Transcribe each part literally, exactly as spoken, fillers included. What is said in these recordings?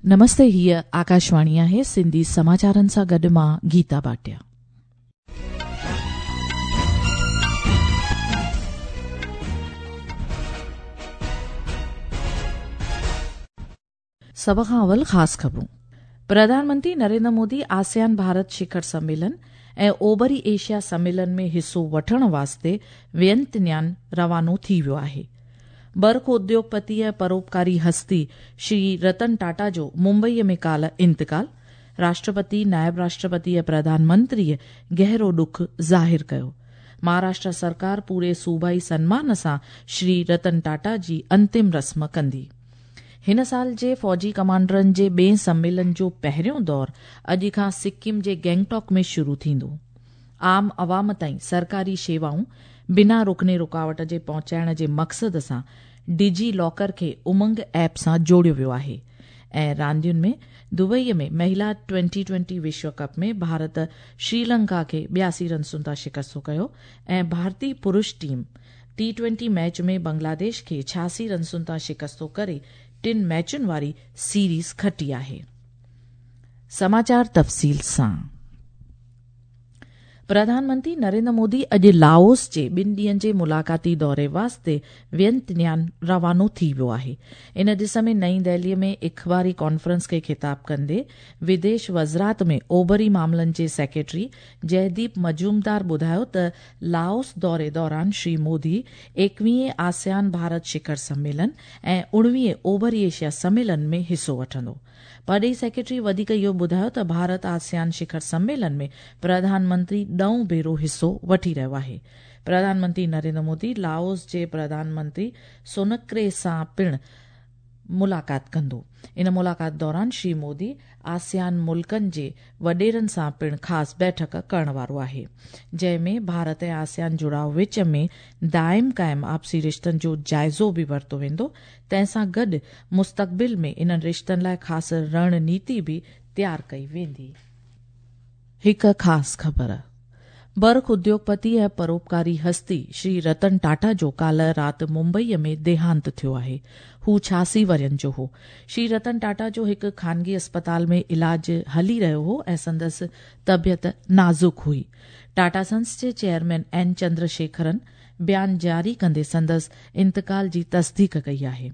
नमस्ते, हीअ आकाशवाणी आहे। सिंधी समाचारनि सां गॾु मां गीता भाटिया। सभ खां अवल ख़ासि ख़बरूं। प्रधानमंत्री नरेंद्र मोदी आसियान भारत शिखर सम्मेलन ऐं ओभरी एशिया सम्मेलन में हिसो वठण वास्ते वियंतियान रवानो थी वियो आहे। बर्ख उद्योगपति ऐं परोपकारी हस्ती श्री रतन टाटा जो मुंबईअ में काल्ह इंतकाल। राष्ट्रपति, नायब राष्ट्रपति ऐं प्रधानमंत्रीअ गहरो ॾुख ज़ाहिर कयो। महाराष्ट्र सरकार पूरे सूबाई सन्मान सां श्री रतन टाटा जी अंतिम रस्म कंदी। हिन साल जे फौजी कमांडरनि जे ॿिए सम्मेलन जो पहिरियों दौर अॼु खां सिक्किम जे गैंगटॉक में शुरू थींदो। आम अवाम ताईं सरकारी शेवाऊं बिना रुकने रुकावट जे पहुचाइण जे मक़सद सां डिजी लॉकर खे उमंग ऐप सां जोड़ियो वियो आहे। ऐं रांदियुनि में दुबईअ में महिला ट्वेंटी ट्वेंटी विश्व कप में भारत श्रीलंका खे ॿियासी रनसुनि तां शिकस्तो कयो ऐं भारतीय पुरुष टीम टी ट्वेंटी मैच में बांग्लादेश खे छियासी रनसुनि तां शिकस्तो करे टिनि मैचुनि वारी सीरीज़ खटी आहे। समाचार तफ़सील सां। प्रधानमंत्री नरेंद्र मोदी अॼु लाओस जे ॿिनि ॾींहनि जे मुलाक़ाती दौरे वास्ते वियंतियान रवानो थी वियो आहे। इन ॾिस में नई दिल्लीअ में इख़बारी कॉन्फ्रेंस खे ख़िताब कंदे विदेश वज़ारत में ओभरी मामलनि जे सेक्रेटरी जयदीप मजूमदार ॿुधायो त लाओस दौरे दौरान श्री मोदी एकवीह आसियान भारत शिखर सम्मेलन ऐं उणिवीह ओभरी एशिया सम्मेलन में हिसो वठंदो। परॾेही सेक्रेटरी वधीक इहो ॿुधायो त भारत आसियान शिखर सम्मेलन में प्रधानमंत्री ॾहों भेरो हिसो वठी रहियो आहे। प्रधानमंत्री नरेंद्र मोदी लाओस जे प्रधानमंत्री सोनक्रे सां पिणु मुलाक़ात कंदो। इन मुलाक़ात दौरान श्री मोदी आसियान मुल्कनि जे वॾेरनि सां पिणु ख़ासि बैठक करण वारो आहे, जंहिंमें भारत ऐं आसियान जुड़ाव विच में दाइम क़ाइम आपसी रिश्तनि जो जाइज़ो बि वरितो वेंदो। तंहिंसां गॾु मुस्तक़बिल में इन्हनि रिश्तनि लाइ ख़ासि रणनीति बि तयारु कई वेंदी। हिकु ख़ासि ख़बर। बर्ख उद्योगपति ऐं परोपकारी हस्ती श्री रतन टाटा जो काल्ह राति मुंबईअ में देहांत थियो आहे। हू छियासी वरियनि जो हो। श्री रतन टाटा जो हिकु खानगी अस्पताल में इलाज हली रहियो हो ऐं संदसि तबियत नाज़ुक हुई। टाटा सन्स जे चेयरमैन एन चंद्रशेखरन बयान जारी कंदे संदसि इंतकाल जी तस्दीक कई आहे।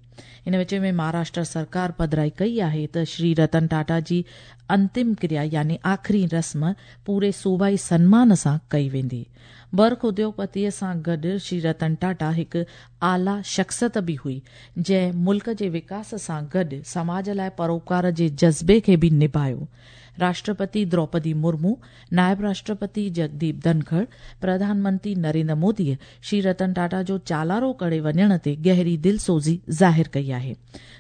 इन विच में महाराष्ट्र सरकार पधराई कई आहे त श्री रतन टाटा जी अंतिम क्रिया यानी आख़िरी रस्म पूरे सूबाई सन्मान सां कई वेंदी। बर्ख उद्योगपतीअ सां गॾु श्री रतन टाटा हिकु आला शख्सियत बि हुई, जंहिं मुल्क जे विकास सां गॾु समाज लाइ परोपकार जे जज़्बे खे बि निभायो। राष्ट्रपति द्रौपदी मुर्मू, नायब राष्ट्रपति जगदीप धनखड़, प्रधानमंत्री नरेंद्र मोदीअ श्री रतन टाटा जो चालारो करे वञण ते गहरी दिलसोज़ी ज़ाहिर कई आहे।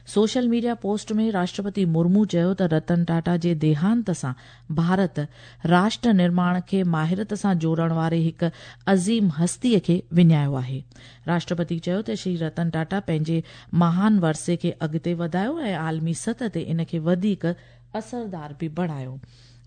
सोशल मीडिया पोस्ट में राष्ट्रपति मुर्मू चयो त रतन टाटा जे देहांत सां भारत राष्ट्र निर्माण खे माहिरत सां जोड़ण वारे हिकु अज़ीम हस्तीअ खे विञायो आहे। राष्ट्रपति चयो त श्री रतन टाटा पंहिंजे महान वरसे खे अॻिते वधायो ऐं आलमी सतह ते इन खे वधीक असरदार बि बणायो।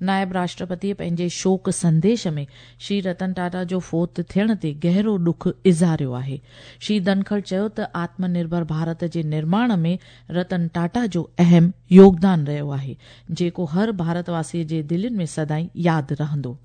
नायब राष्ट्रपतीअ पंहिंजे शोक संदेश में श्री रतन टाटा जो फोत थियण ते गहरो ॾुख इज़ारियो आहे। श्री धनखड़ चयो त आत्मनिर्भर भारत जे निर्माण में रतन टाटा जो अहम योगदान रहियो आहे, जेको हर भारतवासीअ जे दिलनि में सदाईं यादि रहंदो।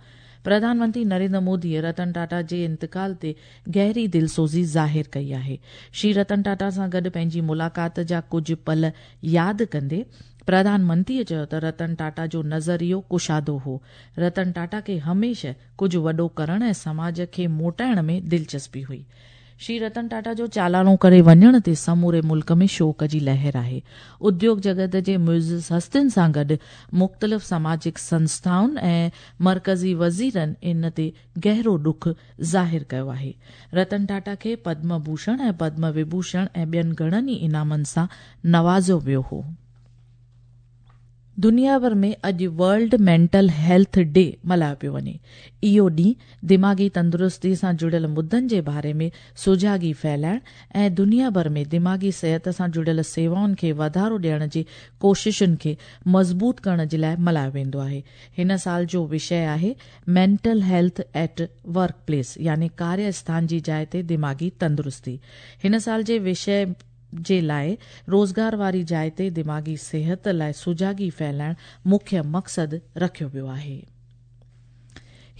प्रधानमंत्री नरेंद्र मोदीअ रतन टाटा जे इंतकाल ते गहरी दिलसोज़ी ज़ाहिर कई आहे। श्री रतन टाटा सां गॾु पंहिंजी मुलाक़ात जा कुझु पल यादि कंदे प्रधानमंत्रीअ चयो त रतन टाटा जो नज़रियो कुशादो हो। रतन टाटा खे हमेशह कुझु वॾो करण ऐं समाज खे मोटाइण में दिलचस्पी हुई। श्री रतन टाटा जो चालाणो करे वञण ते समूरे मुल्क में शोक जी लहर आहे। उद्योग जगत जे मुइज़ हस्तियुनि सां गॾु मुख़्तलिफ़ सामाजिक संस्थाउनि ऐं मर्कज़ी वज़ीरनि इन ते गहरो ॾुख ज़ाहिर कयो आहे। रतन टाटा खे पद्म भूषण ऐं पद्म विभूषण ऐं ॿियनि घणनि ई इनामनि सां नवाज़ियो वियो हो। दुनिया भर में अॼु वर्ल्ड मेंटल हेल्थ डे मल्हायो पियो वञे। इहो ॾींहुं दिमागी तंदुरुस्ती सां जुड़ियल मुद्दनि जे बारे में सुजागी फैलाइण ऐं दुनिया भर में दिमागी सिहत सां जुड़ियल सेवाउनि खे वाधारो ॾियण जी कोशिशुनि खे मज़बूत करण जे लाइ मल्हायो वेंदो आहे। हिन साल जो विषय आहे mental health at work place यानी कार्य स्थान जी जाइ ते दिमागी तंदुरुस्ती। हिन साल जे विषय जे लाइ रोज़गार वारी जाइ ते दिमागी सिहत लाइ सुजागी फैलाइण मुख्य मक़सदु रखियो वियो आहे।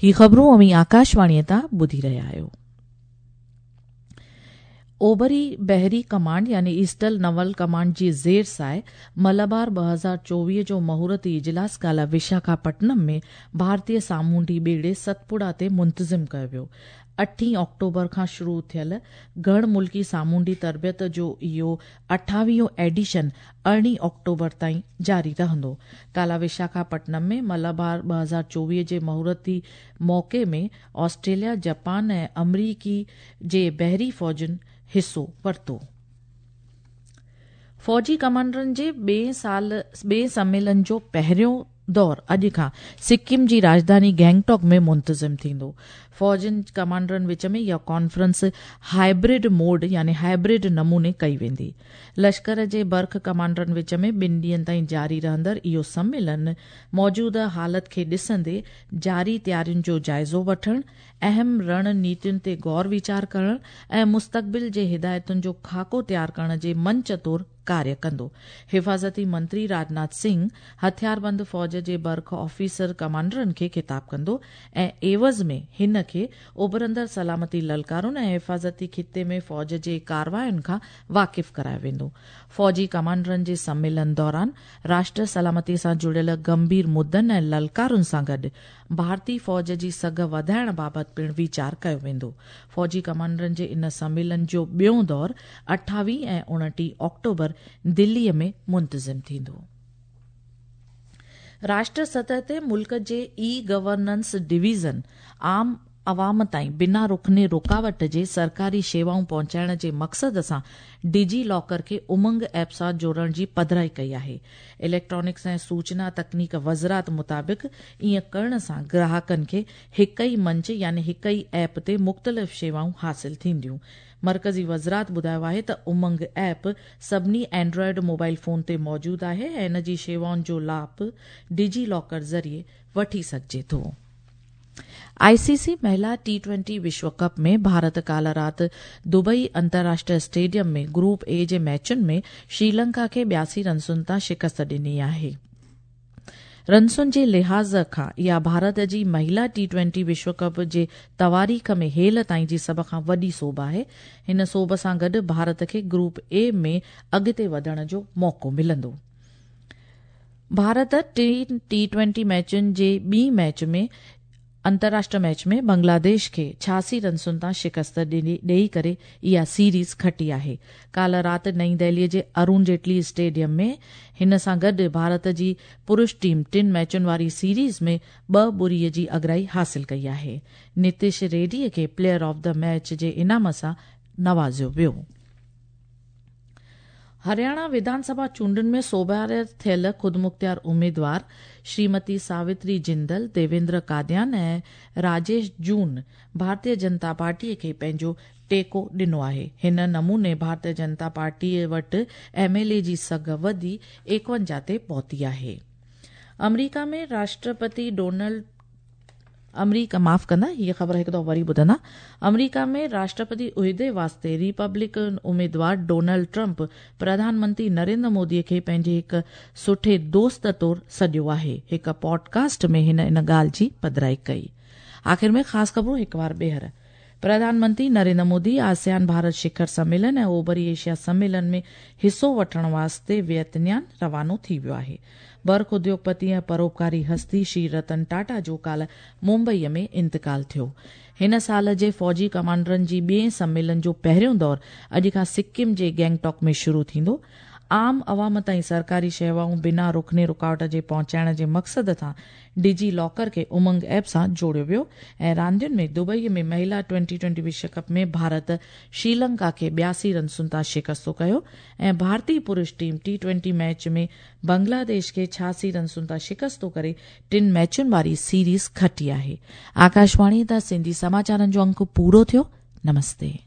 ही ख़बरूं अव्हीं आकाशवाणीअ तां ॿुधी रहिया आहियो। ओबरी बहरी कमांड यानी ईस्टर्न नवल कमांड जी ज़ेर साए मलाबार ॿ हज़ार चोवीह जो मुहूर्ती इजलास काल्ह विशाखापट्टनम में भारतीय सामुंडी ॿेड़े सतपुड़ा ते मुंतज़िम कयो वियो। अठीं ऑक्टोबर खां शुरू थियल घण मुल्की सामुंडी तरबियत जो इहो अठावीहों एडिशन अरिड़हीं ऑक्टोबर ताईं जारी रहंदो। काल्ह विशाखापट्टनम में मलाबार ॿ हज़ार चोवीह जे मुहूर्ती मौक़े में ऑस्ट्रेलिया, जापान ऐं अमरीकी जे बहरी फ़ौजुनि हिसो वरितो। फ़ौजी कमांडरनि जे ॿिए साल ॿिए सम्मेलन जो पहिरियों दौर अॼु खां सिक्किम जी राजधानी गैंगटॉक में मुंतज़िम थींदो। फ़ौजनि कमांडरनि विच में इहा कॉन्फ्रेंस हाइब्रिड मोड यानी हाइब्रिड नमूने कई वेंदी। लश्कर जे बर्ख कमांडरनि विच में ॿिनि ॾींहनि ताईं जारी रहंदड़ इहो सम्मेलन मौजूदा हालत खे ॾिसंदे जारी तयारियुनि जो जाइज़ो वठण, अहम रणनीतियुनि ते गौर वीचार करण ऐं मुस्तक़बिल जे हिदायतुनि जो खाको तयार करण जे मंच तौर कार्य कंदो। हिफाज़ती मंत्री राजनाथ सिंह हथियारबंद फ़ौज जे बर्ख ऑफिसर कमांडरनि खे ख़िताब कंदो ऐं एवज़ में हिन खे उभरंदड़ सलामती ललकारुनि ऐं हिफाज़ती ख़िते में फ़ौज जे कार्रवायुनि खां वाक़िफ़ करायो वेंदो। फ़ौजी कमांडरनि जे सम्मेलन दौरान राष्ट्र सलामती सां जुड़ियल गंभीर मुद्दनि ऐं ललकारुनि सां गॾु भारतीय फ़ौज जी सघ वधाइण बाबति पिणु वीचार कयो वेंदो। फ़ौजी कमांडरनि जे इन सम्मेलन जो ॿियो दौर अठावीह ऐं उणिटीह ऑक्टोबर दिल्लीअ में मुंतज़िम थींदो। राष्ट्र सतह ते मुल्क जे ई गवर्नेंस डिवीज़न आम अवाम ताईं बिना रुखने रुकावट जे सरकारी शेवाऊं पहुचाइण जे मक़सद सां डिजी लॉकर खे उमंग ऐप सां जोड़ण जी पधराई कई आहे। इलेक्ट्रॉनिक्स ऐं सूचना तकनीक वज़ारत मुताबिक़ ईअं करण सां ग्राहकनि खे हिकु ई मंच यानी हिकु ई ऐप ते मुख़्तलिफ़ शेवाऊं हासिल थींदियूं। मरकज़ी वज़ारत ॿुधायो आहे त उमंग ऐप सभिनी एंड्रॉयड मोबाइल फ़ोन ते मौजूदु आहे ऐं इन जी शेवाउनि जो लाभ डिजी लॉकर ज़रिए वठी सघिजे थो। आईसीसी महिला टी ट्वेंटी विश्व कप में भारत काल्ह राति दुबई अंतर्राष्ट्रीय स्टेडियम में ग्रुप ए जे मैचुनि में श्रीलंका खे ॿियासी रनसुनि तां शिकस्त ॾिनी आहे। रनसुनि जे लिहाज़ खां इहा भारत जी महिला टी ट्वेंटी विश्व कप जे तवारीख़ में हेल ताईं जी सभ खां वॾी सोभ आहे। हिन सोभ सां गॾु भारत खे ग्रुप ए में अॻिते वधण जो मौक़ो मिलंदो। भारत टिनि टी ट्वेंटी मैचुनि जे ॿी मैच में अंतर्राष्ट्रीय मैच में बांग्लादेश खे छियासी रनसुनि तां शिकस्त ॾेई करे इहा सीरीज़ खटी आहे। काल्ह राति नई दिल्लीअ जे अरुण जेटली स्टेडियम में हिन सां गॾु भारत जी पुरुष टीम टिनि मैचुनि वारी सीरीज़ में ॿ ॿुड़ीअ जी अगराई हासिल कई आहे। नितिश रेड्डीअ खे प्लेयर ऑफ the match जे इनाम सां नवाज़ियो वियो। हरियाणा विधानसभा चूंडुनि में सोभारे थियल ख़ुदमुख़्तियार उमेदवार श्रीमती सावित्री जिंदल, देवेंद्र कादियान ऐं राजेश जून भारतीय जनता पार्टीअ खे पंहिंजो टेको ॾिनो आहे। हिन नमूने भारतीय जनता पार्टीअ वटि एम एल ए जी सघ वधी एकवंजाह ते पहुती आहे। अमरीका में राष्ट्रपति डोनाल्ड अमरीका माफ़ कंदा, हीअ ख़बर हिकु दफ़ो वरी ॿुधंदा। अमरीका में राष्ट्रपति उहिदे वास्ते रिपब्लिकन उमेदवार डोनाल्ड ट्रंप प्रधानमंत्री नरेंद्र मोदीअ खे पंहिंजे हिकु सुठे दोस्त तौर सॾियो आहे। हिकु पॉडकास्ट में हिन इन ॻाल्हि जी पधराई कई। आख़िर में ख़ासि ख़बरूं हिकु बार ॿीहर। प्रधानमंत्री नरेंद्र मोदी आसियान भारत शिखर सम्मेलन ऐं ओभरी एशिया सम्मेलन में हिसो वठण वास्ते वियतनाम रवानो थी वियो आहे। बर्ख उद्योगपति ऐं परोपकारी हस्ती श्री रतन टाटा जो काल्ह मुंबईअ में इंतकाल थियो। हिन साल जे फ़ौजी कमांडरनि जी ॿिए सम्मेलन जो पहिरियों दौर अॼु खां सिक्किम जे गैंगटॉक में शुरू थींदो। आम अवाम ताईं सरकारी शेवाऊं बिना रुखने रुकावट जे पहुचाइण जे मक़सद सां डिजी लॉकर खे उमंग ऐप सां जोड़ियो वियो। ऐं रांदियुनि में दुबई में महिला ट्वेंटी ट्वेंटी विश्व कप में भारत श्रीलंका खे ॿियासी रनसुनि तां शिकस्तो कयो ऐं भारतीय पुरुष टीम टी ट्वेंटी मैच में बांग्लादेश खे छियासी रनसुनि तां शिकस्तो करे टिनि मैचुनि वारी सीरीज़ खटी आहे। आकाशवाणी तां सिंधी समाचारनि जो अंक पूरो थियो। नमस्ते।